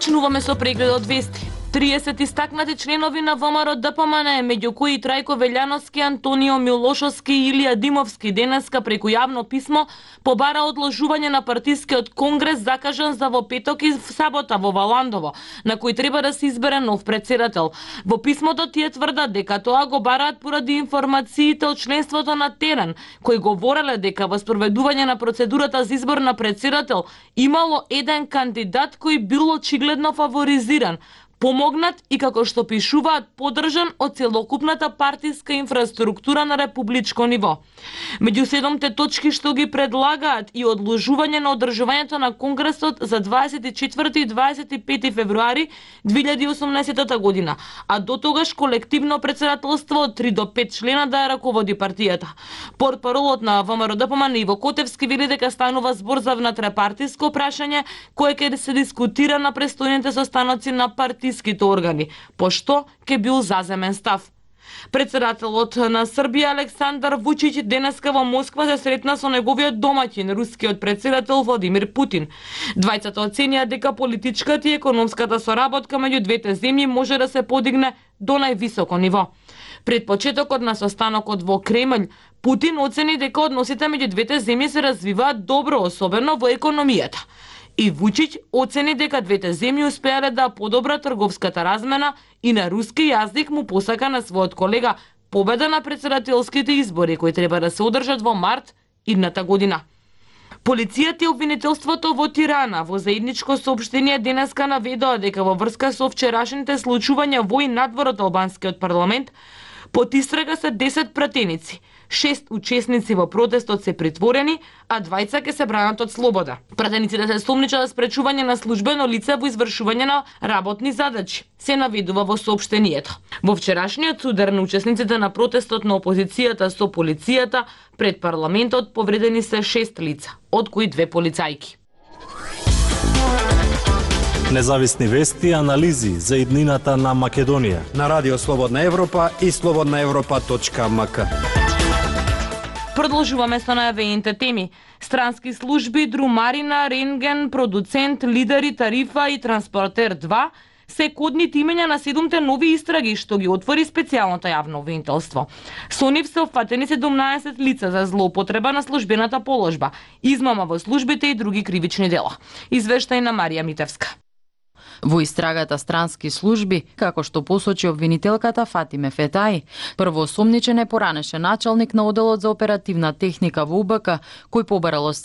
Почнуваме со прегледот вести. 30 истакнати членови на ВМРО ДПМН, меѓу кои Трајко Велјановски, Антонио Милошовски и Илија Димовски, денеска преку јавно писмо побара одложување на партискиот конгрес закажан за во петок и сабота во Валандово, на кој треба да се избере нов претседател. Во писмото тие тврдат дека тоа го бараат поради информациите од членството на терен, кои говореле дека во спроведување на процедурата за избор на претседател имало еден кандидат кој бил очигледно фаворизиран, помогнат и, како што пишуваат, поддржан од целокупната партиска инфраструктура на републичко ниво. Меѓу 7 точки што ги предлагаат и одложување на одржувањето на Конгресот за 24 и 25 февруари 2018 година, а до тогаш колективно претседателство од 3 до 5 члена да ја раководи партијата. Портпаролот на ВМРО ДПМН Иво Котевски вели дека станува збор за внатрепартиско прашање кое ќе се дискутира на престојните состаноци на партијските органи, пошто ќе бил заземен став. Председателот на Србија Александар Вучиќ денеска во Москва се сретна со неговиот домаќин, рускиот председател Владимир Путин. Двајцата оценија дека политичката и економската соработка меѓу двете земји може да се подигне до највисоко ниво. Пред почетокот на состанокот во Кремљ, Путин оцени дека односите меѓу двете земји се развиваат добро, особено во економијата. И Вучиќ оцени дека двете земји успеале да подобрат трговската размена и на руски јазик му посака на својот колега победа на претседателските избори кои треба да се одржат во март идната година. Полицијата и обвинителството во Тирана во заедничко соопштение денеска наведоа дека во врска со вчерашните случувања во и надвор од албанскиот парламент под истрага се 10 пратеници. 6 учесници во протестот се притворени, а 2 ќе се бранат од слобода. Пратениците се сомничат за спречување на службено лице во извршување на работни задачи, се наведува во соопштението. Во вчерашниот судар на учесниците на протестот на опозицијата со полицијата пред парламентот повредени се 6 лица, од кои 2 полицајки. Независни вести и анализи за иднината на Македонија на Радио Слободна Европа и slobodnaevropa.mk. Продолжуваме со најавените теми. Странски служби, друмарина, рентген, продуцент, лидери, тарифа и транспортер 2 се кодните имења на 7 нови истраги што ги отвори специјалното јавно обвинителство. Со нив се опфатени 17 лица за злоупотреба на службената положба, измама во службите и други кривични дела. Извештај на Марија Митевска. Во истрагата странски служби, како што посочи обвинителката Фатиме Фетаи, првоосомничен е поранешен началник на оделот за оперативна техника во УБК, кој побарал од